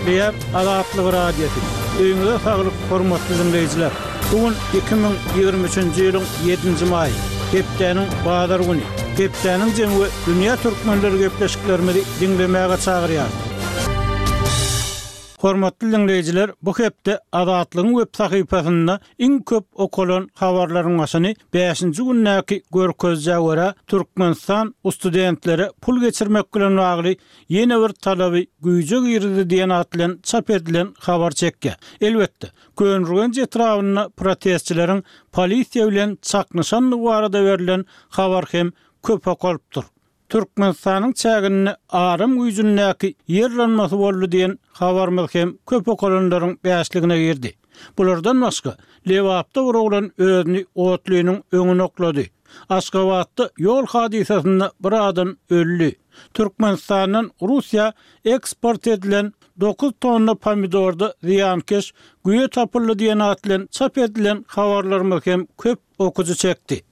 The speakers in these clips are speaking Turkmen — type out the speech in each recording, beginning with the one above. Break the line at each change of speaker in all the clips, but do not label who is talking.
Gepleýär Azatlyk Radiosy. Öýüňize saglyk, hormatly diňleýjiler! Bu gün 2023-nji ýylyň ýedinji maýy, hepdäniň bazar güni. Hepdäniň jemi we dünýä türkmenleri gepleşiklerimizi diňlemäge çagyrýarys. Hormatly diňleýjiler, bu hepde Azatlygyň web sahypasynda iň köp okalan habarlaryň başyny bäşinji gündäki görkezijä görä, Türkmenistan studentlere pul geçirmek bilen bagly ýene bir talaby güýje girizdi diýen at bilen çap edilen habar çekýär. Elbetde, Köneürgenç etrabynda protestçileriň polisiýa bilen çaknyşandygy barada berlen habar hem köp okalypdyr. Türkmenistanyň çäginde aram güýjündäki ýer yranmasy boldy diýen habarymyz hem köp okalanlaryň bäşligine girdi. Bulardan başga, Lebapda bir oglan özüni otlynyň öňüne oklady. Aşgabatda ýol hadysasynda bir adam öldi. Türkmenistandan Russiýa eksport edilen dokuz tonna pomidorda zyýankeş güýe tapyldy diýen at bilen çap edilen habarlarymyz hem köp okyjy çekdi.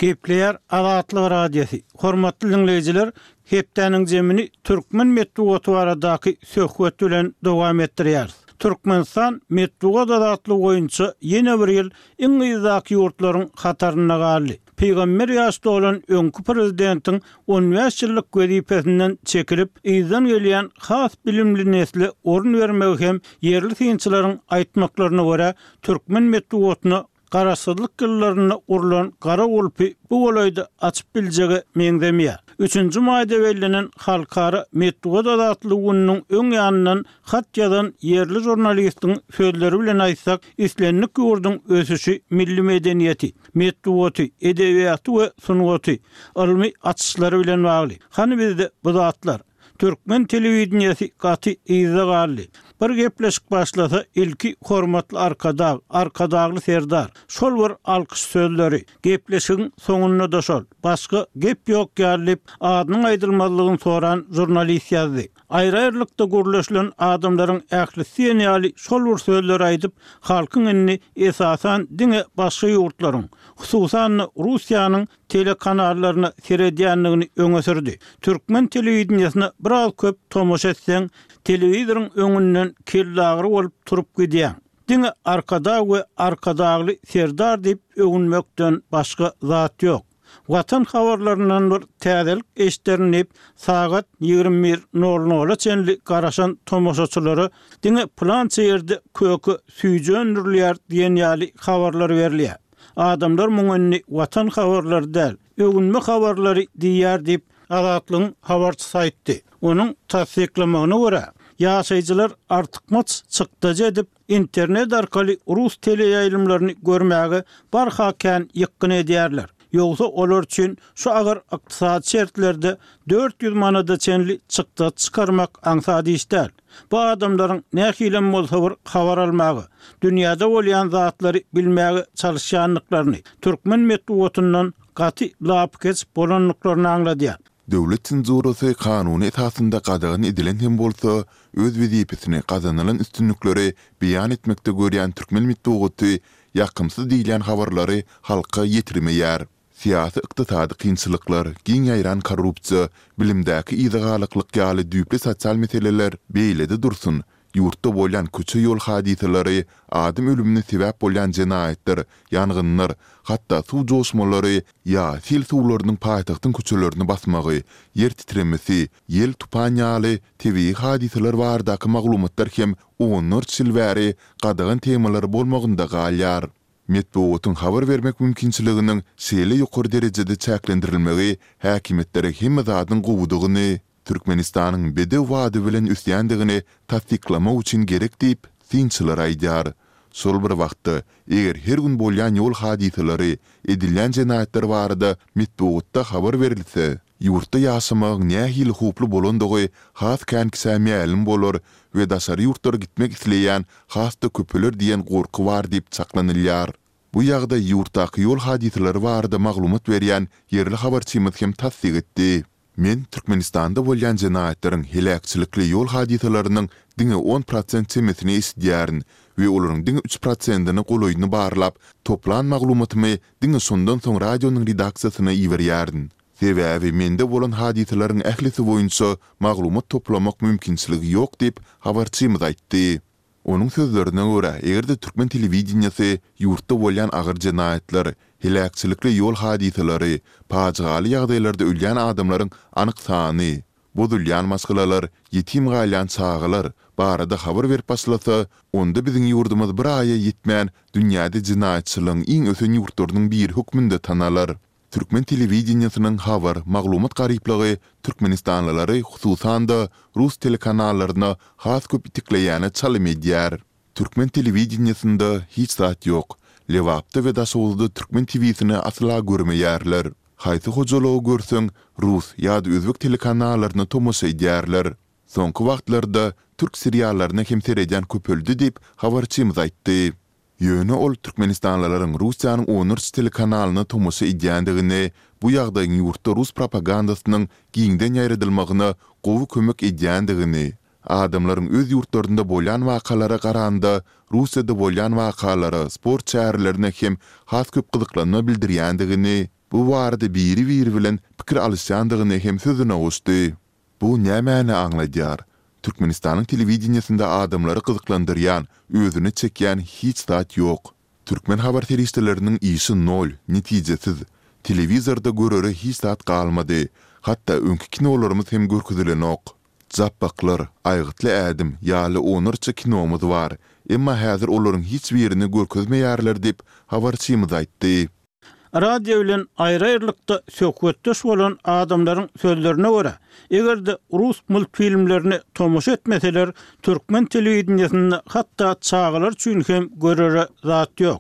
Gepleýär Azatlyk Radiosy. Hormatly diňleýjiler, hepdäniň jemini türkmen metbugaty baradaky söhbet bilen dowam etdirýäris. Türkmenistan metbugat azatlygy boýunça ýene bir ýyl iň yzdaky ýurtlaryň hatarynda galdy. Pygamber ýaş dolan öňki prezidentiň on bäş ýyllyk wezipesinden çekilip, yzdan gelýän has bilimli nesle orun bermegi hem ýerli synçylaryň aýtmaklaryna görä, Türkmen metbugatyna Garaşsyzlyk ýyllarynda gurlan gara gulpy bu golaýda açyp biljege meňzemeýär. Üçünji maýda bellenen Halkara metbugat azatlygy gününiň öň ýanyndan hat ýazan ýerli žurnalistiň sözleri bilen aýtsak, islendik ýurduň ösüşi milli medeniýeti, metbugaty, edebiýaty we sungaty, ylmy açyşlary bilen bagly. Hany bizde bu zatlar? Türkmen telewideniýesi gaty yzda galdy. Bir gepleşik başlasa ilki Hormatly Arkadag, Arkadagly Serdar. Şol bir alkyş sözleri. Gepleşigiň soňunda-da şol. Başga gep ýok ýaly diýip, adynyň aýdylmazlygyny soran žurnalist ýazdy. Aýry-aýrylykda gürleşilen adamlaryň ählisi diýen ýaly şol bir sözleri aýdyp, halkyň indi esasan diňe başga ýurtlaryň, hususan-da Russiýanyň telekanallaryna seredýändigini öňe sürdi. Türkmen telewideniýesine biraz köp tomaşa etseň, telewizoryň öňünden kellagyry bolup turup gidýäň. Diňe Arkadag we Arkadagly Serdar diýip öwünmekden başga zat ýok. Watan habarlaryndan bir täzelik eşderin diýip, sagat 21 nol nola çenli garaşan tomaşaçylara diňe pylança ýerde köke süýji öndürilýär diýen ýaly habarlar berilýär. Adamlar muňa indi Watan habarlary däl, öwünme habarlary diýýär diýip, Azatlygyň habarçysy aýtdy. Onuň tassyklamagyna görä, ýaşaýjylar artykmaç çykdajy edip, internet arkaly rus teleýaýlymlaryny görmäge barha kän ýykgyn edýärler. Ýogsa olar üçin şu agyr ykdysady şertlerde 400 manada çenli çykdajy çykarmak aňsat iş däl. Bu adamlaryň nähilem bolsa bir habar almaga, dünýäde bolýan zatlary bilmäge çalyşýandyklaryny, türkmen metbugatyndan gaty lapykeç bolandyklaryny aňladýar.
Döwlet senzurasy kanuny esasynda gadagan edilen hem bolsa, öz wezipesini gazanylan üstünlikleri beýan etmekde görýän türkmen metbugaty ýakymsyz diýilýän habarlary halka ýetirmeýär. Syýasy-ykdysady kynçylyklar, giň ýaýran korrupsiýa, bilimdäki yzagalaklyk ýaly düýpli sosial meseleler beýlede dursun, ýurtda bolýan köçe-ýol hadysalary, adam ölümine sebäp bolýan jenaýatlar, ýangynlar, hatda suw joşmalary ýa sil suwlarynyň paýtagtyň köçelerini basmagy, ýer titremesi, ýel, tupan ýaly tebigy hadysalar baradaky maglumatlar hem onlarça ýyl bäri gadagan temalar bolmagynda galýar. Metbugatyň habar bermek mümkinçiliginiň şeýle ýokary derejede çäklendirilmegi häkimiýetlere hemme zadyň gowudygyny, Türkmenistanyň bedew bady bilen ösýändigini tassyklamak üçin gerek diýip, synçylar aýdýar. Şol bir wagtda, eger her gün bolýan ýol hadysalary, edilýän jenaýatlar barada metbugatda habar berilse, Ýurtda ýaşamagyň nähili howply bolandygy has kän kişä mälim bolar we daşary ýurtlara gitmek isleýän has-da köpeler diýen gorky bar diýip çaklanylýar. Bu ýagdaý ýurtdaky ýol hadysalary barada maglumat berýän ýerli habarçymyz hem tassyk etdi. Men Türkmenistanda bolýan jenaýatlaryň, heläkçilikli ýol hadysalarynyň diňe on prosent çemesini eşidýärin we olaryň diňe üç prosentine golaýyny barlap, toplan maglumatymy diňe şondan soň radionyň redaksiýasyna iberýärin. Sebäbi mende bolan hadysalaryň ählisi boýunça maglumat toplamak mümkinçiligi ýok diýip, habarçymyz aýtdy. Onuň sözlerine görä, eger-de türkmen telewideniýesi ýurtda bolýan agyr jenaýatlar, heläkçilikli ýol hadysalary, pajygaly ýagdaýlarda ölýän adamlaryň anyk sany, bozulýan maşgalalar, ýetim galýan çagalar barada habar berip başlasa, onda biziň ýurdumyz bir aýa ýetmän dünýäde jenaýatçylygyň iň ösen ýurtlarynyň biri hökmünde tanalar. Türkmen telewideniýesiniň habar, maglumat garyplygy türkmenistanlylary hususan-da rus telekanallaryna has köp itekleýäne çalym edýär. Türkmen telewideniýesinde hiç zat ýok. Lebapda we Daşoguzda türkmen TW-sini asla görmeýärler. Haýsy hojalygy görseň, rus ýa-da özbek telekanallaryna tomaşa edýärler. Soňky wagtlarda türk seriallaryna hem seredýän köpeldi diýip, habarçymyz aýtdy. Ýöne ol türkmenistanlylaryň Russiýanyň onlarça telekanalyna tomaşa edýändigini, bu ýagdaýyň ýurtda rus propagandasynyň giňden ýaýradylmagyna gowy kömek edýändigini, adamlaryň öz ýurtlarynda bolýan wakalara garanda Russiýada bolýan wakalara, sport çärelerine hem has köp gyzyklanma bildirýändigini, bu barada biri-biri bilen pikir alyşýandygyny hem sözüne goşdy. Bu nämäni aňladýar? Türkmenistanyň telewideniýesinde adamlary gyzyklandyrýan, özüne çekýän hiç zat ýok. Türkmen habar serişdeleriniň işi nol, netijesiz. Telewizorda görere hiç zat galmady. Hatda öňki kinolarymyz hem görkezilenok. Japbaklar, Aýgytly ädim ýaly onlarça kinomyz bar. Emma häzir olaryň hiç birini görkezmeýärler diýip, habarçymyz aýtdy.
Radio bilen aýry-aýrylykda söhbetdeş bolan adamlaryň sözlerine görä, eger-de rus multfilmlerine tomaşa etmeseler, türkmen telewideniýesinde hatda çagalar üçin hem görere zat ýok.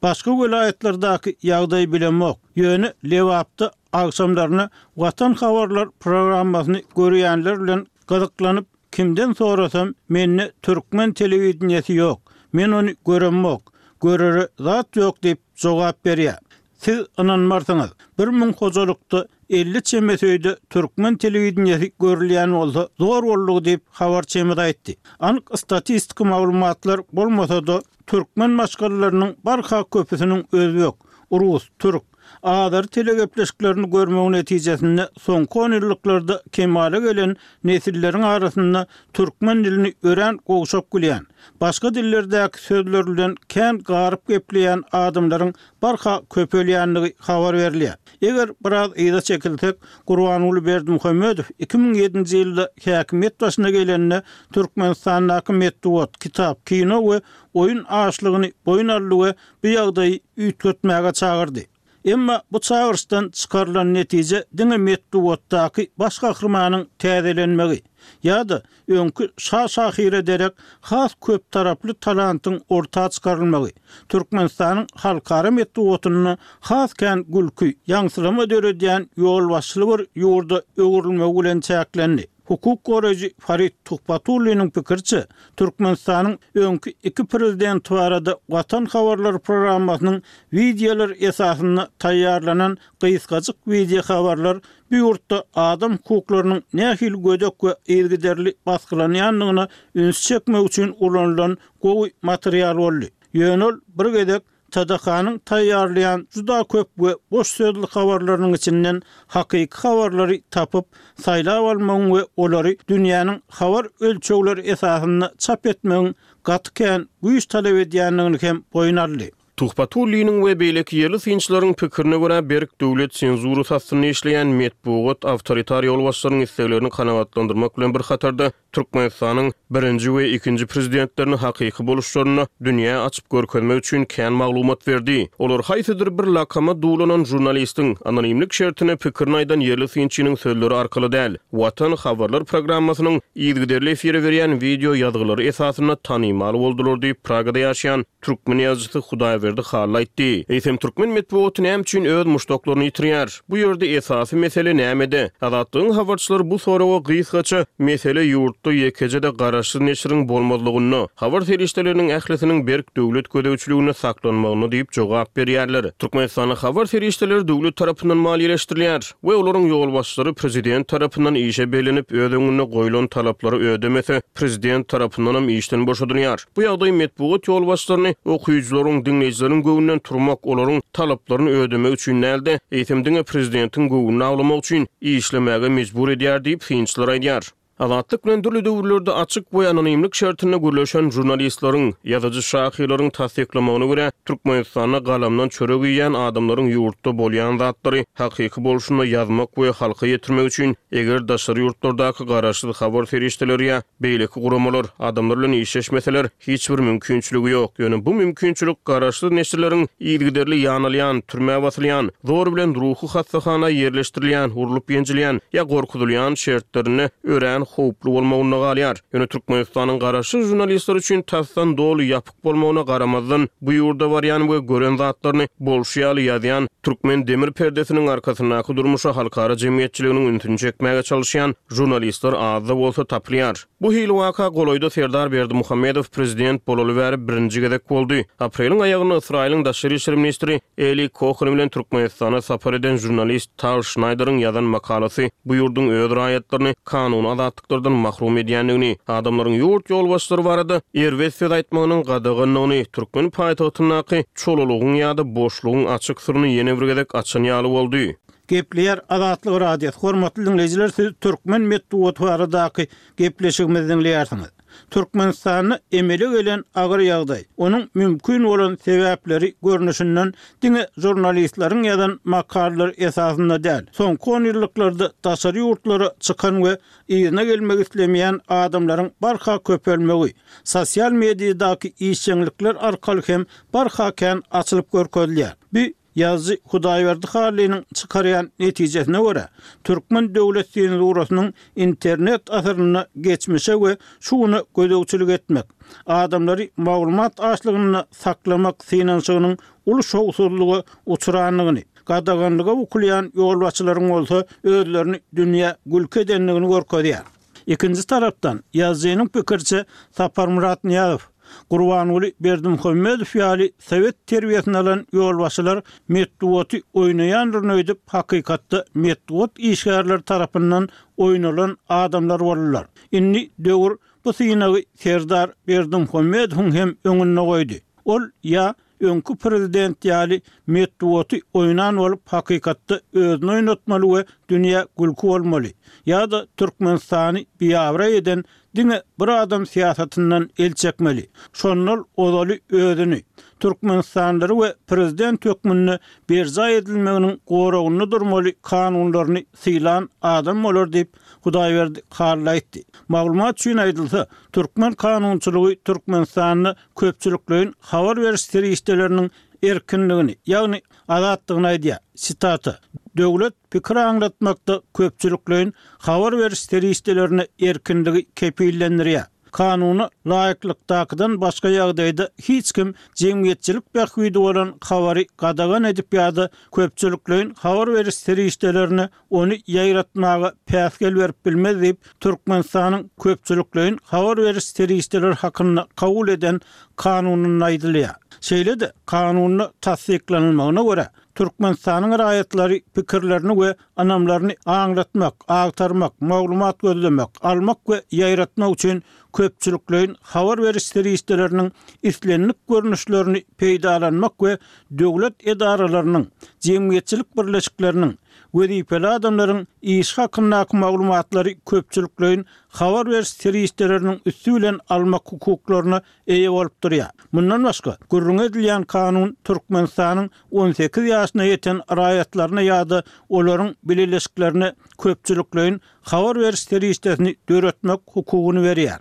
Başga welaýatlardaky ýagdaýy bilemok, ýöne Lebapda agşamlaryna Watan habarlar programmasyny görýänler bilen gyzyklanyp, Kimden sorasam, mende türkmen telewideniýesi ýok, men ony göremok, görere zat ýok diýip jogap berýär. Siz ynanmarsyňyz, 1000 hojalykda 50 çemesi öýde türkmen telewideniýesi görülýän bolsa zor boldugy diýip, habarçymyz aýtdy. Anyk statistiki maglumatlar bolmasa-da, türkmen maşgalalarynyň barha köpüsiniň özbek, rus, türk, azeri telegepleşiklerini görmegi netijesinde soňky onýyllyklarda kemala gelen nesilleriň arasynda türkmen dilini örän gowşak bilýän, başga dillerdäki sözler bilen kän garyp gepleýän adamlaryň barha köpelýändigi habar berilýär. Eger biraz yza çekilsek, Gurbanguly Berdimuhamedow 2007-nji ýylda häkimiýet başyna gelende Türkmenistandaky metbugat, kitap, kino we oýun açlygyny boýun aldy we bu ýagdaýy üýtgetmäge çagyrdy. Emma bu çagyryşdan çykarylan netije diňe metbugatdaky baş gahrymanyň täzelenmegi ýa-da öňki şa şahyra derek has köptaraply talantyň orta çykarylmagy, Türkmenistanyň halkara metbugatynda has kän gülki, ýaňsylama döredýän ýolbaşçyly bir ýurda öwrülmegi bilen çäklendi. Hukuk goraýjy Farid Tuhbatulliniň pikiriçe, Türkmenistanyň öňki iki prezidenti barada Watan habarlary programmasynyň wideolar esasynda taýýarlanan gysgajyk wideohabarlar bu ýurtda adam hukuklarynyň nähili gödek we yzygiderli basgylanýandygyna ünsi çekmek üçin ulanylan gowy material boldy. Ýöne ol bir gezek TDH-nyň taýýarlaýan juda köp we boş sözli habarlarynyň içinden hakyky habarlary tapyp, saýlap almagyň we olary dünýäniň habar ölçegleri esasynda çap etmegiň gaty kän güýç talap edýändigini hem boýun aldy.
Tuhbatulliniň we beýleki ýerli synçylaryň pikirine görä, berk döwlet senzurasy astynda işleýän metbugat awtoritar ýolbaşçylaryň isleglerini kanagatlandyrmak bilen bir hatarda, Türkmenistanyň birinji we ikinji prezidentlerini hakyky boluşlarynda dünýä açyp görkezmek üçin kän maglumat berdi. Olar haýsydyr bir lakama duwlanan žurnalistiň, anonimlik şertinde pikirini aýdan ýerli synçynyň sözleri arkaly däl, Watan habarlar programmasynyň yzygiderli efire berýän wideo ýazgylary esasynda tanymal boldular diýip, Pragada ýaşaýan türkmen ýazyjysy Hudaýberdi Hally aýtdy. Eýsem, türkmen metbugaty näme üçin öz muşdaklaryny ýitirýär? Bu ýerde esasy mesele nämede? Azatlygyň habarçylary bu soraga gysgaça, Mesele ýurtda ýekeje-de gara. garaşsyz neşiriň bolmazlygynda, habar serişdeleriniň ählisiniň berk döwlet gözegçiliginde saklanmagynda diýip jogap berýärler. Türkmenistanda habar serişdeleri döwlet tarapyndan maliýeleşdirilýär we olaryň ýolbaşçylary prezident tarapyndan işe bellenip, öz öňünde goýlan talaplary ödemese, prezident tarapyndanam işden boşadylýar. Bu ýagdaý metbugat ýolbaşçylaryny okyjylaryň, diňleýjileriň göwnünden turmak, olaryň talaplaryny ödemek üçin däl-de, eýsem diňe prezidentiň göwnüni awlamak üçin işlemäge mejbur edýär diýip, synçylar aýdýar. Azatlyk bilen dürli döwürlerde açyk we anonimlik şertinde gürleşen žurnalistleriň, ýazyjy-şahyrlaryň tassyklamagyna görä, Türkmenistanda galamdan çörek iýýän adamlaryň ýurtda bolýan zatlary hakyky bolşunda ýazmak we halka ýetirmek üçin, eger daşary ýurtlardaky garaşsyz habar serişdeleri ýa beýleki guramalar adamlar bilen işleşmeseler, hiç bir mümkinçiligi ýok. Ýöne bu mümkinçilik garaşsyz neşirleriň yzygiderli ýanalýan, türmä basylýan, zor bilen ruhy hassahana ýerleşdirilýän, urlup-ýenjilýän ýa gorkuzylýan şertlerinde örän howply bolmagynda galýar. Ýöne Türkmenistanyň garaşsyz žurnalistler üçin tasdan doly ýapyk bolmagyna garamazdan, bu ýurda barýan we gören zatlaryny bolşy ýaly ýazýan, türkmen demir perdesiniň arkasyndaky durmuşa halkara jemgyýetçiliginiň ünsüni çekmäge çalyşýan žurnalistler az-da bolsa tapylýar. Bu hili waka golaýda Serdar Berdimuhamedow prezident bolaly bäri birinji gezek boldy. Apreliň aýagynda Ysraýylyň daşary işler ministri Eli Kohen bilen Türkmenistana sapar eden žurnalist Tal Şnaýderiň ýazan makalasy bu ýurduň öz raýatlaryny kanuny azatlyklardan mahrum edýändigini, adamlaryň ýurt ýolbaşçylary barada erbet söz aýtmagynyň gadagandygyny, türkmen paýtagtyndaky çolalygyň ýa-da boşlugyň açyk syryny ýene bir gezek açan ýaly boldy.
Gepleýär Azatlyk Radiosy, Hormatly diňleýjiler siz türkmen metbugaty baradaky gepleşigimizi diňleýärsiňiz. Türkmenistanda emele gelen agyr ýagdaý, onuň mümkin bolan sebäpleri görnüşinden diňe žurnalistleriň ýazan makalalary esasynda däl, soňky onýyllyklarda daşary ýurtlara çykan we yzyna gelmek islemeýän adamlaryň barha köpelmegi, sosial mediadaky işjeňlikler arkaly hem barha kän açylyp görkezilýär. Bu Ýazyjy Hudaýberdi Hallynyň çykarýan netijesine görä, türkmen döwlet senzurasynyň internet asyrynda geçmişe we şu güne gözegçilik etmek, adamlary maglumat açlygynda saklamak synanyşygynyň uly şowsuzlyga uçrandygyny, gadaganlyga bukulýan ýolbaşçylaryň bolsa özlerini dünýä gülki edendigini görkezýär. Ikinji tarapdan, ýazyjynyň pikiriçe, Saparmyrat Nyýazow, Gurbanguly Berdimuhamedow ýaly sowet terbiýesini alan ýolbaşçylar metbugaty oýnaýandyryn öýdüp, hakykatda metbugat işgärleri tarapyndan oýnalan adamlar boldular. Indi döwür bu synagy Serdar Berdimuhamedowyň hem öňünde goýdy. Ol ýa öňki prezident ýaly metbugaty oýnan bolup hakykatda özüni oýnatmaly we dünýä gülki bolmaly ýa-da Türkmenistany biabraý eden diňe bir adam syýasatyndan el çekmeli. Şondal ozaly özüni, türkmenistanlylary we prezident hökmünde berjaý edilmeginiň goragynda durmaly kanunlaryny sylan adam bolar diýip, Hudaýberdi Hally aýtdy. Maglumat üçin aýdylsa, türkmen kanunçylygy Türkmenistanda köpçülikleýin habar beriş serişdeleriniň erkinligini, ýagny azatlygyny aýdýar. Sitata, Döwlet pikir aňlatmakda köpçülikleýin habar beriş serişdelerine erkinligi kepillendirýär. Kanuna laýyklykdakydan başga ýagdaýda hiç kim jemgyýetçilik bähbidi bolan habary gadagan edip ýa-da köpçülikleýin habar beriş serişdelerine ony ýaýratmaga päsgel berip bilmez diýip, Türkmenistanyň Köpçülikleýin habar beriş serişdeleri hakynda kabul eden Kanunynda aýdylýar. Şeýle-de, Kanunda tassyklanylmagyna görä, Türkmenistanyň raýatlary pikirlerini we ynamlaryny aňlatmak, agtarmak, maglumat gözlemek, almak we ýaýratmak üçin köpçülikleýin habar beriş serişdeleriniň islendik görnüşlerini peýdalanmak we döwlet edaralarynyň, jemgyýetçilik birleşikleriniň, wezipeli adamlaryň işi hakyndaky maglumatlary köpçülikleýin habar beriş serişdeleriniň üsti bilen almak hukuklaryna eýe bolup durýar. Mundan başga, gürrüňi edilýän kanun Türkmenistanyň 18 ýaşyna ýeten raýatlaryna ýa-da olaryň bileleşiklerine köpçülikleýin habar beriş serişdesini döretmek hukugyny berýär.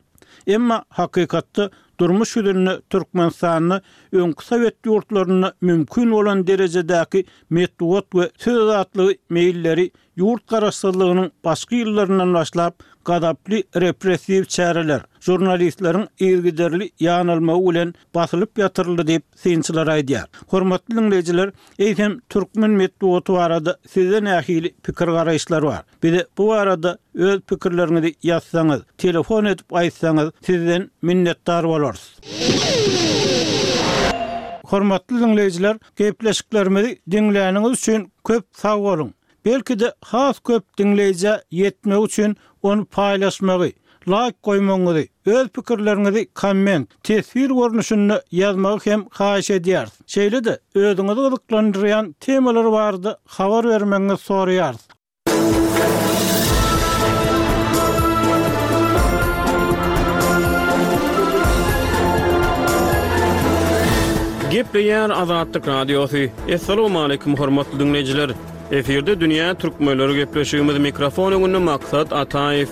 Emma hakykatda. Durmuş ýüzünde Türkmenistanda öňki sowet ýurtlarynda mümkin bolan derejedäki metbugat we söz azatlygy meýilleri ýurt garaşsyzlygynyň başky ýyllaryndan başlap gazaply repressiw çäreler, žurnalistleriň yzygiderli ýanalmagy bilen basylyp ýatyryldy diýip, synçylar aýdýar. Hormatly diňleýjiler, eýsem türkmen metbugaty barada sizde nähili pikir-garaýyşlar bar? Bize bu barada öz pikirleriňizi ýazsaňyz, telefon edip aýtsaňyz, sizden minnetdar bolarys. Hormatly diňleýjiler, gepleşiklerimizi diňläniňiz üçin köp sag boluň! Belki-de has köp diňleýjä ýetmegi üçin ony paýlaşmagy, laýk goýmagyňyzy, öz pikirleriňizi komment, teswir görnüşinde ýazmagy hem haýyş edýäris. Şeýle-de özüňizi gyzyklandyrýan temalar barada habar bermegiňizi soraýarys.
Gepleýär Azatlyk Radiosy. Assalamualaikum hormatly diňleýjiler. Efirde dünýä türkmenleri gepleşigimiz mikrofon öňünde Maksat Ataýew.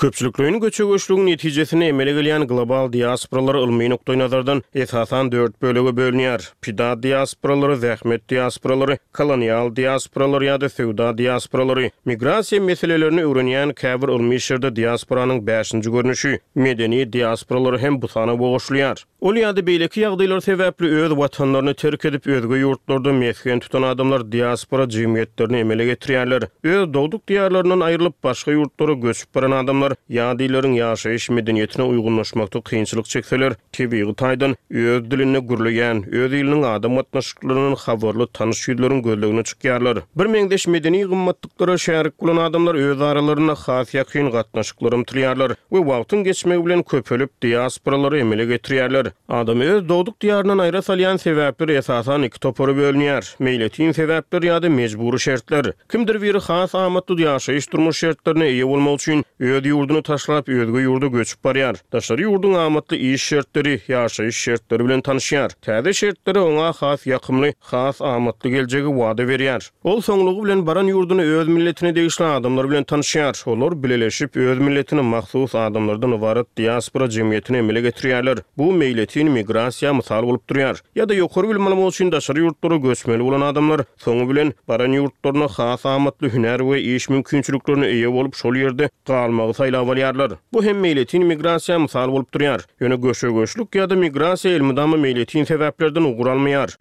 Köpçülikleýin göçe-göçlügiň netijesinde emele gelýän global diasporalar ylmy nukdaýnazardan esasan dört bölege bölünýär, pida diasporalary, zähmet diasporalary, kolonial diasporalary ýa-da söwda diasporalary. Migrasiýa meselelerini öwrenýän käbir ylmy işlerde diasporanyň bäşinji görnüşi, medeni diasporalary hem bu sanawa goşulýar. Ol ýa-da beýleki ýagdaýlar sebäpli öz watanlaryny terk edip, özge ýurtlarda mesgen tutan adamlar diaspora jemgyýetlerini emele getirýärler. Öz dogduk diýarlaryndan aýrylyp, başga ýurtlara göçüp baran adamlar ýat illeriň ýaşaýyş medeniýetine uýgunlaşmakda kynçylyk çekseler, tebigy taýdan öz dilinde gürleýän, öz iliniň adam gatnaşyklaryndan habarly tanyş ýüzleriň gözlegine çykýarlar. Birmeňzeş medeni gymmatlyklara şärik bolan adamlar öz aralarynda has ýakyn gatnaşyklara ymtylýarlar we wagtyň geçmegi bilen köpelip, diasporalary emele getirýärler. Adamy öz dogduk diýaryndan aýra salýan sebäpler esasan iki topara bölünýär, meýletin sebäpler ýa-da mejbury şertler. Kimdir biri has amatly ýaşaýyş-durmuş şertlerine eýe bolmak üçin öz ýurduny taşlap, özge ýurda göçüp barýar. Daşary ýurduň amatly iş şertleri, ýaşaýyş şertleri bilen tanyşýar. Täze şertleri oňa has ýakymly, has amatly geljegi wada berýär. Ol soňlugy bilen baran ýurdunda öz milletine degişli adamlar bilen tanyşýar. Olar bileleşip, öz milletine mahsus adamlardan ybarat diaspora jemgyýetini emele getirýärler. Bu meýletin migrasiýa mysal bolup durýar. Ýa-da ýokary bilim almak üçin daşary ýurtlara göçmeli bolan adamlar soňy bilen baran ýurtlarynda has amatly hünär we iş mümkinçiliklerine eýe bolup, şol ýerde galmagy saýlap alýarlar. Bu hem meýletin migrasiýa mysal bolup durýar. Ýöne göçe-göçlük ýa-da migrasiýa elmydama meýletin sebäplerden ugur almaýar.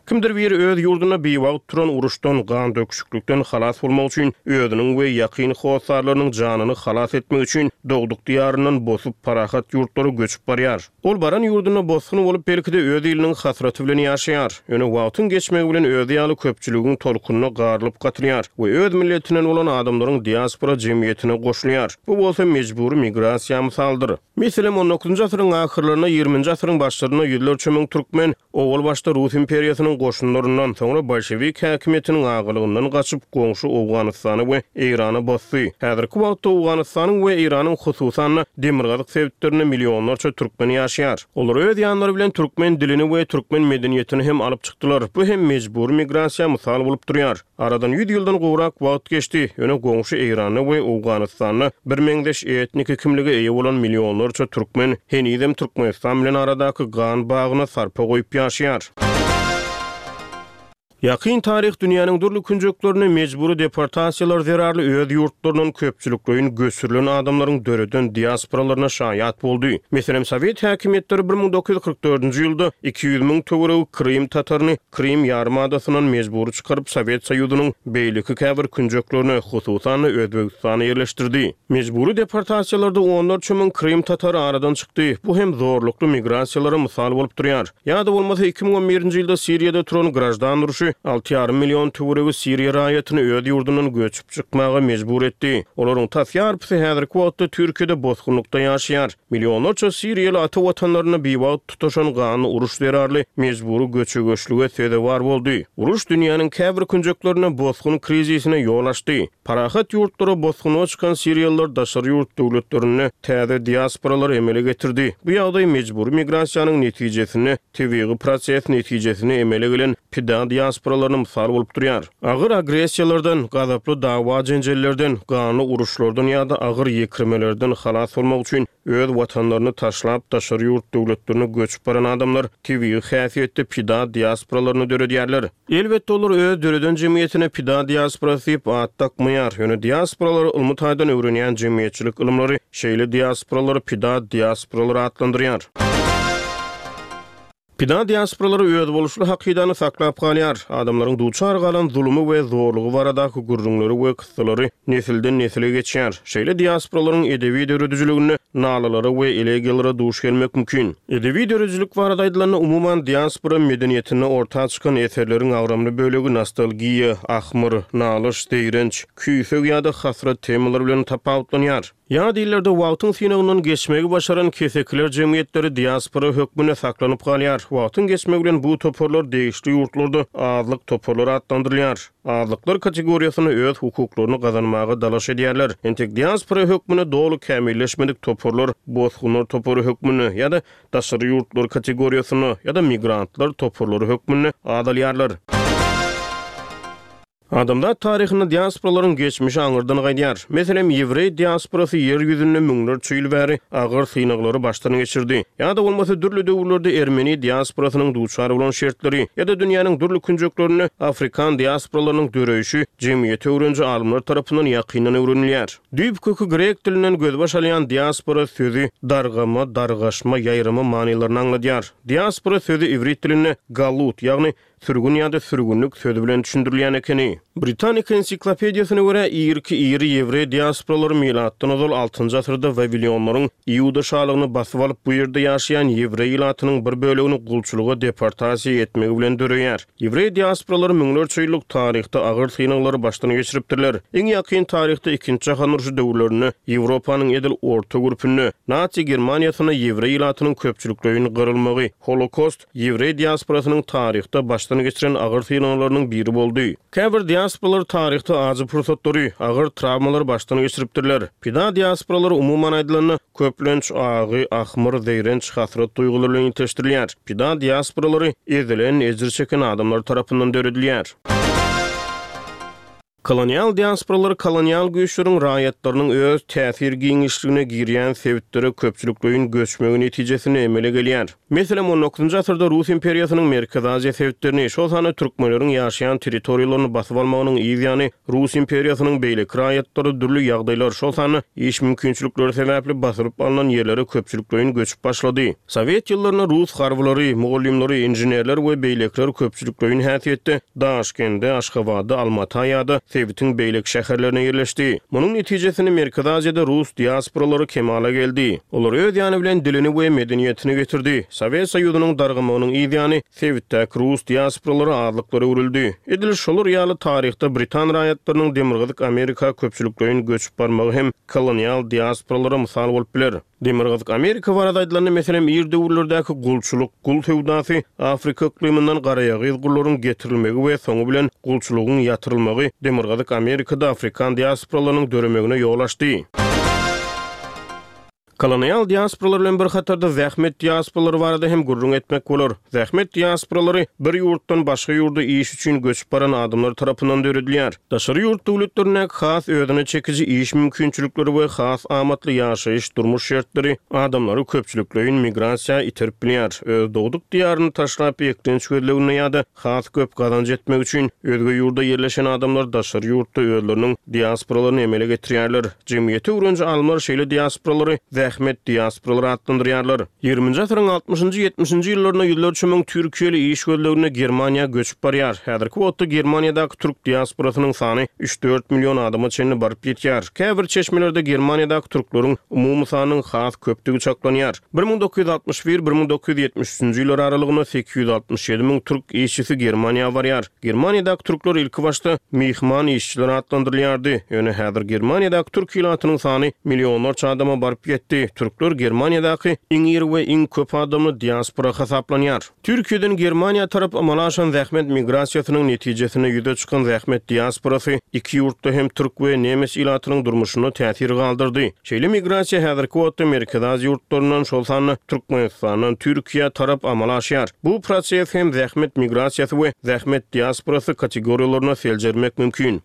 Kimdir biri öz ýurdunda biwagt turan uruşdan, gandöküşiklikden halas bolmak üçin, özüniň we ýakyn hossarlarynyň janyny halas etmek üçin dogduk diýaryndan bosup, parahat ýurtlara göçüp barýar. Ol baran ýurdunda bosgun bolup, belki-de öz iliniň hasraty bilen ýaşaýar. Ýöne wagtyň geçmegi bilen özi ýaly köpçüligiň tolkunyna garylyp gatylýar we öz milletinden bolan adamlaryň diaspora jemgyýetine goşulýar. Bu bolsa mejbury migrasiýa mysaldyr. Meselem, on dokuzynjy asyryň ahyrlarynda, ýigriminji asyryň başlarynda ýüzlerçe müň türkmen owal başda Rus imperiýasynyň goşunlaryndan, soňra bolşewik häkimiýetiniň agalygyndan gaçyp, goňşy Owganystana we Eýrana bosdy. Häzirki wagtda Owganystanyň we Eýranyň, hususan-da, demirgazyk sebitlerinde millionlarça türkmen ýaşaýar. Olar öz ýanlary bilen türkmen dilini we türkmen medeniýetini hem alyp çykdylar. Bu hem mejbury migrasiýa mysal bolup durýar. Aradan ýüz ýyldan gowrak wagt geçdi, ýöne goňşy Eýranda we Owganystanda birmeňzeş etniki kimlige eýe bolan millionlarça türkmen henizem Türkmenistan bilen aradaky gan bagyna sarpa goýup ýaşaýar. Ýakyn taryh dünýäniň dürli künjeklerinde mejbury deportasiýalar zerarly öz ýurtlaryndan köpçülikleýin göçürilen adamlaryň döreden diasporalaryna şaýat boldy. Meselem, sowet häkimiýetleri 1944-nji ýylda 200 müň töweregi krym tataryny Krym ýarymadasyndan mejbury çykaryp, Sowet Soýuzynyň beýleki käbir künjeklerine, hususan-da, Özbegistana ýerleşdirdi. Mejbury deportasiýalarda onlarça müň krym tatary aradan çykdy. Bu hem zorlukly migrasiýalara mysal bolup durýar. Ýa-da bolmasa 2011-nji ýylda Siriýada turan graždan urşy alty ýarym million töweregi siriýa raýatyny öz ýurdundan göçüp çykmaga mejbur etdi. Olaryň tas ýarpysy häzirki wagtda Türkiýede bosgunlykda ýaşaýar. Millionlarça siriýaly ata watanlarynda biwagt tutaşan ganly uruş zerarly mejbury göçe-göçlüge sezewar boldy. Uruş dünýäniň käbir künjeklerinde bosgun krizisine ýol açdy. Parahat ýurtlara bosgunlyga çykan siriýalylar daşary ýurt döwletlerinde täze diasporalary emele getirdi. Bu ýagdaý mejbury migrasiýanyň netijesinde. tebigy proses netijesinde emele gelen pida diasporalaryna mysal bolup durýar. Agyr agressiýalardan, gazaply dawa-jenjellerden, ganly uruşlardan ýa-da agyr ýekirmelerden halas bolmak üçin öz watanlaryny taşlap daşary ýurt döwletlerine göçüp baran adamlar tebigy häsiýetde pida diasporalaryny döredýärler. Elbetde olar öz döreden jemgyýetine pida diasporasy diýip at dakmaýar, ýöne diasporalary ylmy taýdan öwrenýän jemgyýetçilik ylymlary şeýle diasporalary pida diasporalary atlandyrýar. Pida diasporalary özboluşly hakydany saklap galýar, adamlaryň duçar galan zulumy we zorlugy baradaky gürrüňleri we kyssalary nesilden-nesile geçýär. Şeýle diasporalaryň edebi döredijiliginde nalalara we elegiýalara duş gelmek mümkin. Edebi döredijilik barada aýdylanda, umuman, diaspora medeniýetinde orta çykan eserleriň agramly bölegi nostalgiýa, ahmyr, nalyş, zeýrenç, küýseg ýa-da hasrat temalary bilen tapawutlanýar. Ýat illerde wagtyň synagyndan geçmegi başaran kesekiler jemgyýetleri diaspora hökmünde saklanyp galýar. Wagtyň geçmegi bilen bu toparlar degişli ýurtlarda azlyk toparlary atlandyrylýar. Azlyklar kategoriýasynda öz hukuklaryny gazanmaga dalaş edýärler. Entek diaspora hökmünde doly kämilleşmedik toparlar bosgunlar topary hökmünde ýa-da daşary ýurtlular kategoriýasynda ýa-da migrantlar toparlary hökmünde azalýarlar. Adamzat taryhynda diasporalaryň geçmişi aňyrdan gaýdýar. Meselem, ýewreý diasporasy ýer ýüzünde müňlerçe ýyl bäri agyr synaglary başdan geçirdi. Ýa-da bolmasa dürli döwürlerde ermeni diasporasynyň duçar bolan şertleri ýa-da dünýäniň dürli künjeklerinde afrikan diasporalarynyň döreýşi jemgyýeti öwreniji alymlar tarapyndan ýakyndan öwrenilýär. Düýp köki grek dilinden gözbaş alýan diaspora sözi dargama, dargaşma, ýaýrama manylaryny aňladýar. Diaspora sözi iwrit dilinde galut, ýagny Sürgün ýa-da sürgünlik sözi bilen düşündirilýän ekeni. Britanika ensiklopediýasyna görä, irki iri ýewreý diasporalary milatdan ozal altynjy asyrda wawilionlaryň Iuda şalygyny basyp alyp, bu ýerde ýaşaýan ýewreý ilatynyň bir bölegini gulçulyga deportasiýa etmegi bilen döreýär. Ýewreý diasporalary müňlerçe ýyllyk taryhda agyr synaglary başdan geçiripdirler. Iň ýakyn taryhda Ikinji jahan urşy döwürlerinde Ýewropanyň edil orta gürpünde, Nasi Germaniýasynda ýewreý ilatynyň köpçülikleýin gyrylmagy, Holokost, Ýewreý diasporasynyň taryhda başdan geçiren agyr synaglarynyň biri boldy. Käbir diasporalar taryhda ajy pursatlary, agyr trawmalary başdan geçiripdirler. Pida diasporalary umuman aýdylanda, köplenç agy, ahmyr, zeýrenç, hasrat duýgulary bilen ilteşdirilýär. Pida diasporalary ezilen, ejir çeken adamlar tarapyndan döredilýär. Kolonial diasporalar kolonial güýçleriň raýatlarynyň öz täsir giňişligine girýän sebitlere köpçülikleýin göçmegi netijesinde emele gelýär. Meselem, on dokuzynjy asyrda Rus imperiýasynyň Merkezi Aziýa sebitlerini, şol sanda türkmenleriň ýaşaýan territoriýalaryny basyp almagynyň yz ýany Rus imperiýasynyň beýleki raýatlary dürli ýagdaýlar, şol sanda iş mümkinçilikleri sebäpli basylyp alnan ýerlere köpçülikleýin göçüp başlady. Sowet ýyllarynda rus harbylary, mugallymlary, inženerler we beýlekiler köpçülikleýin häsiýetde Daşkende, Aşgabada, Almata ýa-da sebitiň beýleki şäherlerine ýerleşdi. Munuň netijesinde Merkezi Aziýada rus diasporalary kemala geldi. Olar öz ýany bilen dilini we medeniýetini getirdi. Sowet Soýuzynyň dargamagynyň yz ýany sebitdäki rus diasporalary azlyklara öwrüldi. Edil şolar ýaly taryhda britan raýatlarynyň Demirgazyk Amerika köpçülikleýin göçüp barmagy hem kolonial diasporalara mysal bolup biler. Demirgazyk Amerika barada aýdylanda, meselem, ir döwürlerdäki gulçulyk, gul söwdasy, Afrika yklymyndan garaýagyz gullaryň getirilmegi we soňy bilen gulçulygyň ýatyrylmagy Demirgazyk Amerikada afrikan diasporalarynyň döremegine ýol açdy. Kolonial diasporalar bilen bir hatarda zähmet diasporalary barada hem gürrüň etmek bolar. Zähmet diasporalary bir ýurtdan başga ýurda iş üçin göçüp baran adamlar tarapyndan döredilýär. Daşary ýurt döwletlerindäki has özüne çekiji iş mümkinçilikleri we has amatly ýaşaýyş-durmuş şertleri adamlary köpçülikleýin migrasiýa iterip bilýär. Öz dogduk diýaryny taşlap eklenç gözleginde ýa-da has köp gazanç etmek üçin özge ýurda ýerleşen adamlar daşary ýurtda özleriniň diasporalaryny emele getirýärler. Jemgyýeti öwreniji alymlar şeýle diasporalary zähmet diasporalary atlandyrýarlar. Ýigriminji asyryň altmyşynjy, ýetmişinji ýyllarynda ýüzlerçe müň türkiýeli iş gözleginde Germaniýa göçüp barýar. Häzirki wagtda Germaniýadaky türk diasporasynyň sany üç-dört million adama çenli baryp ýetýär. Käbir çeşmelerde Germaniýadaky türkleriň umumy sanynyň has köpdügi çaklanýar. 1961, 1973-nji ýyllar aralygynda 867 müň türk işçisi Germaniýa barýar. Germaniýadaky türkler ilkibaşda myhman işçiler atlandyrylýardy, ýöne häzir Germaniýadaky türk ilatynyň sany millionlarça adama baryp ýetdi. etdi. Türkler Germaniýadaky iň iri we iň köp adamly diaspora hasaplanýar. Türkiýeden Germaniýa tarap amala aşan zähmet migrasiýasynyň netijesinde ýüze çykan zähmet diasporasy iki ýurtda hem türk we nemes ilatynyň durmuşynda täsir galdyrdy. Şeýle migrasiýa häzirki wagtda Merkezi Aziýa ýurtlaryndan, şol sanda Türkmenistandan Türkiýä tarap amala aşýar. Bu proses hem zähmet migrasiýasy we zähmet diasporasy kategoriýalarynda seljermek mümkin.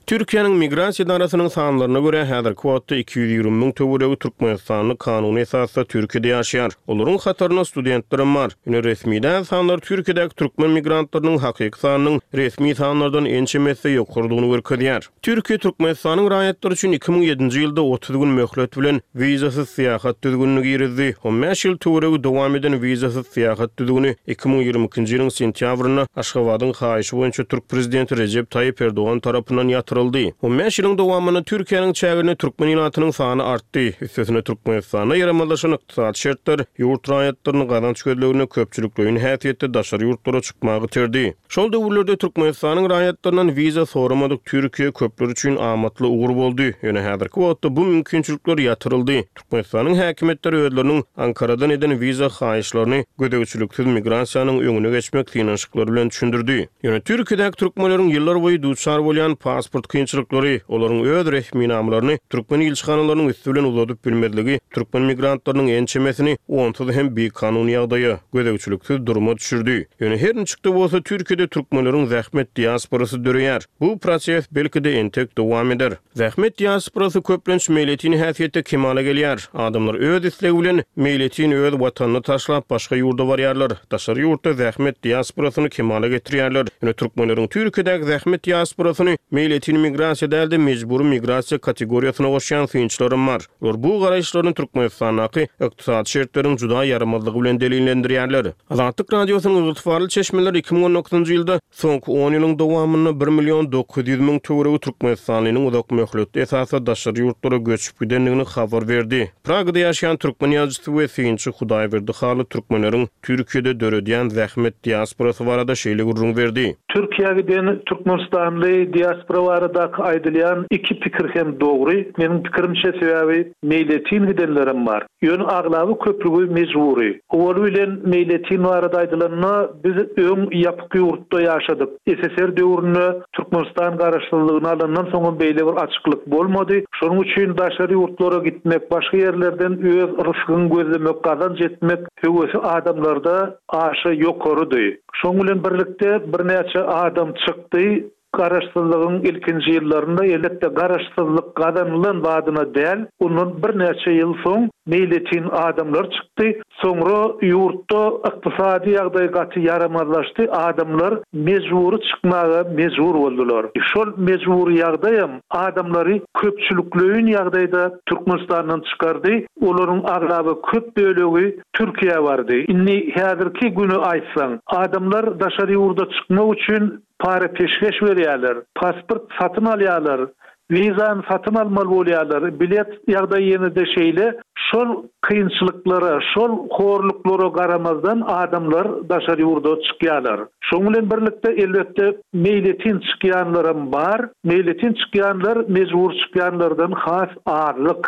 Türkiýäniň Migrasiýa edarasynyň sanlaryna görä, häzirki wagtda 220 müň töweregi türkmenistanly kanuny esasda Türkiýede ýaşaýar. Olaryň hatarynda studentlerem bar. Ýöne resmi däl sanlar Türkiýedäki türkmen migrantlarynyň hakyky sanynyň resmi sanlardan ençeme esse ýokarydygyny görkezýär. Türkiýe Türkmenistanyň raýatlary üçin 2007-nji ýylda 30 gün möhlet bilen wizasyz syýahat düzgünini girizdi. On bäş ýyl töweregi dowam eden wizasyz syýahat düzgüni 2022-nji ýylyň sentýabrynda Aşgabadyň haýyşy boýunça türk prezidenti Rejep Taýyp Erdogan tarapyndan ýatyryldy. On bäş ýylyň dowamynda Türkiýäniň çäginde türkmen ilatynyň sany artdy. Üstesine Türkmenistanda ýaramazlaşan ykdysady şertler ýurt raýatlaryny gazanç gözleginde köpçülikleýin häsiýetde daşary ýurtlara çykmaga iterdi. Şol döwürlerde Türkmenistanyň raýatlaryndan wiza soramadyk Türkiýe köpler üçin amatly ugur boldy. Ýöne häzirki wagtda bu mümkinçilikler ýatyryldy. Türkmenistanyň häkimiýetleri özleriniň Ankaradan eden wiza haýyşlaryny gözegçiliksiz migrasiýanyň öňüne geçmek synanyşyklary bilen düşündirdi. Ýöne Türkiýedäki türkmenleriň ýyllarboýy duçar bolýan pasport kynçylyklary, olaryň öz resminamalaryny türkmen ilçihanalarynyň üsti bilen uzadyp bilmezligi türkmen migrantlarynyň ençemesini onsuz hem bikanun ýagdaýa, gözegçiliksiz duruma düşürdi. Ýöne her niçik-de bolsa Türkiýede türkmenleriň zähmet diasporasy döreýär. Bu proses belki-de entek dowam eder. Zähmet diasporasy köplenç meýletin häsiýetde kemala gelýär. Adamlar öz islegi bilen meýletin öz watanyny taşlap başga ýurda barýarlar. Daşary ýurtda zähmet diasporasyny kemala getirýärler. Ýöne türkmenleriň Türkiýedäki zähmet diasporasyny meýletin migrasiýa däl-de mejbury migrasiýa kategoriýasyna goşýan synçylaram bar. Olar bu garaýyşlaryny Türkmenistandaky ykdysady şertleriň juda ýaramazlygy bilen delillendirýärler. Azatlyk Radiosynyň ygtybarly çeşmeleri 2019-njy ýylda soňky on ýylyň dowamynda bir million 900 müň töweregi türkmenistanlynyň uzak möhletli esasda daşary ýurtlara göçüp gidendigini habar berdi. Pragada ýaşaýan türkmen ýazyjysy we synçy Hudaýberdi Hally türkmenleriň Türkiýede döredýän zähmet diasporasy barada şeýle gürrüň berdi.
Türkiýä giden türkmenistanly diaspora baradaky aýdylýan iki pikir hem dogry, meniň pikirimçe, sebäbi meýletin gidenlerem bar. Ýöne aglaba köplügi mejbury. Owaly bilen meýletin barada aýdylanda, biz öň ýapyk ýurtda ýaşadyk. SSR döwründe Türkmenistan garaşsyzlygyny alandan soňam beýle bir açyklyk bolmady. Şonuň üçin daşary ýurtlara gitmek, başga ýerlerden öz rysgyňy gözlemek, gazanç etmek höwesi adamlarda aşa ýokarydy. Şonuň bilen birlikde birnäçe adam çykdy. Garaşsyzlygyň ilkinji ýyllarynda, elbetde, garaşsyzlyk gazanylan badyna däl, ondan birnäçe ýyl soň meýletin adamlar çykdy. Soňra ýurtda ykdysady ýagdaý gaty ýaramazlaşdy, adamlar mejbury çykmaga mejbur boldular. Şol mejbury ýagdaýam adamlary köpçülikleýin ýagdaýda Türkmenistandan çykardy, olaryň aglaba köp bölegi Türkiýä bardy. Indi häzirki güni aýtsaň, adamlar daşary ýurda çykmak üçin Para-peşgeş berýärler, pasport satyn alýarlar, wizany satyn almaly bolýarlar, bilet ýagdaýy ýene-de şeýle. Şol kynçylyklara, şol horluklara garamazdan adamlar daşary ýurda çykýarlar. Şonuň bilen birlikde, elbetde, meýletin çykýanlaram bar. Meýletin çykýanlar mejbur çykýanlardan has azlyk.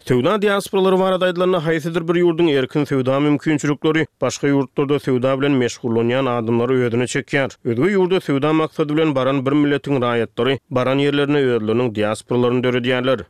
Söwda diasporalary barada aýdylanda, haýsydyr bir ýurduň erkin söwda mümkinçilikleri başga ýurtlarda söwda bilen meşgullanýan adamlary özüne çekýär. Özge ýurda söwda maksady bilen baran bir milletiň raýatlary baran ýerlerinde özleriniň diasporalaryny döredýärler.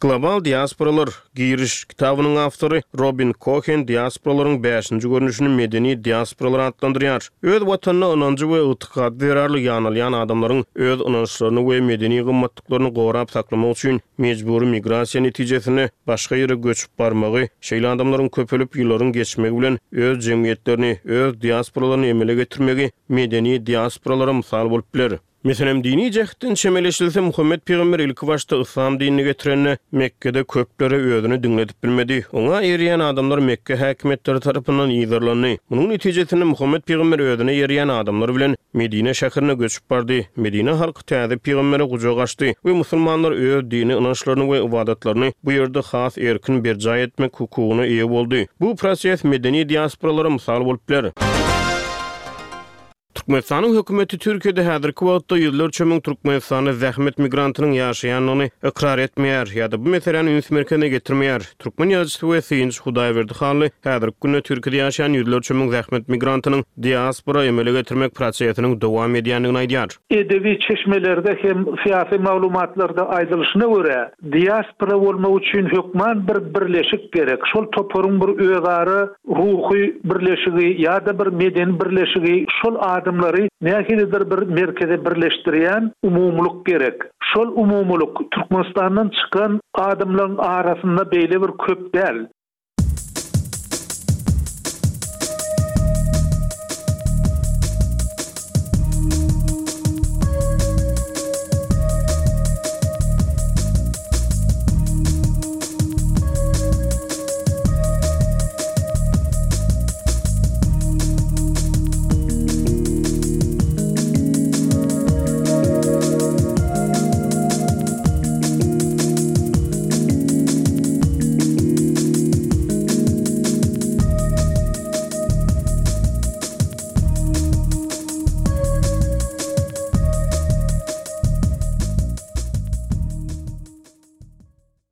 Global diasporalar, Giriş, kitabynyň awtory Robin Kohen diasporalaryň bäşinji görnüşini medeni diasporalar atlandyrýar. Öz watanyna ynanjy we ygtykady zerarly ýanalýan adamlaryň öz ynançlaryny we medeni gymmatlyklaryny gorap saklamak üçin mejbury migrasiýa netijesinde başga ýere göçüp barmagy, şeýle adamlaryň köpelip ýyllaryň geçmegi bilen öz jemgyýetlerini, öz diasporalaryny emele getirmegi medeni diasporalara mysal bolup biler. Meselem, dini jähtden çemeleşilse, Muhammet pygamber ilkibaşda yslam dinini getirende, Mekgede köplere özüni diňledip bilmedi. Oňa eýerýän adamlar Mekge häkimiýetleri tarapyndan yzarlandy. Munuň netijesinde Muhammet pygamber özüne eýerýän adamlar bilen Medine şäherine göçüp bardy. Medine halky täze pygambere gujak açdy we musulmanlar öz dini ynançlaryny we ybadatlaryny bu ýerde has erkin berjaý etmek hukugyna eýe boldy. Bu proses medeni diasporalara mysal bolup biler. Türkmenistanyň hökümeti Türkiýede häzirki wagtda ýüzlerçe müň türkmenistanly zähmet migrantynyň ýaşaýandygyny ykrar etmeýär ýa-da bu meseläni üns merkezine getirmeýär. Türkmen ýazyjysy we synçy Hudaýberdi Hally häzirki günde Türkiýede ýaşaýan ýüzlerçe müň zähmet migrantynyň diaspora emele getirmek prosesiniň dowam edýändigini aýdýar.
Edebi çeşmelerde hem syýasy maglumatlarda aýdylyşyna görä, diaspora bolmak üçin hökman bir birleşik gerek. Şol toparyň bir özara ruhy birleşigi ýa-da bir medeni birleşigi şol adamlary nähilidir bir merkeze birleşdirýän umumylyk gerek. Şol umumylyk Türkmenistandan çykan adamlaryň arasynda beýle bir köp däl.